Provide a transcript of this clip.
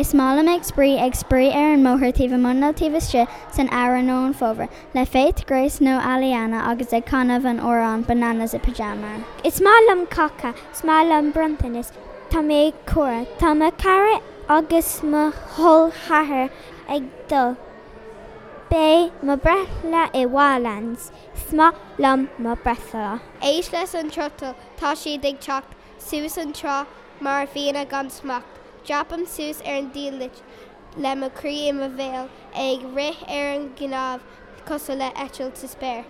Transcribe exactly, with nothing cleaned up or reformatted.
Is maith liom ag spraoi ag spraoi ar an mbóthar taobh amuigh nó taobh istigh san samhradh nó an fómhar, le Faith, Grace nó Aliana agus ag canadh an amhrán Bananas i Pyjama. Is maith liom cáca, is maith liom bronntanas, Tá mé ag comhrá, Tá mo chara agus mo chol ceathar ag dul. Beidh mo breithlá i Wildlands, Is maith liom mo breithlá. Éist leis an trucail tá siad ag teacht suas an trá mar fianna gan smacht. Dreapaim suas ar an diallait le mo chroí i mo bhéal ag rith ar an gcnámh cosúil le eitilt sa spéir.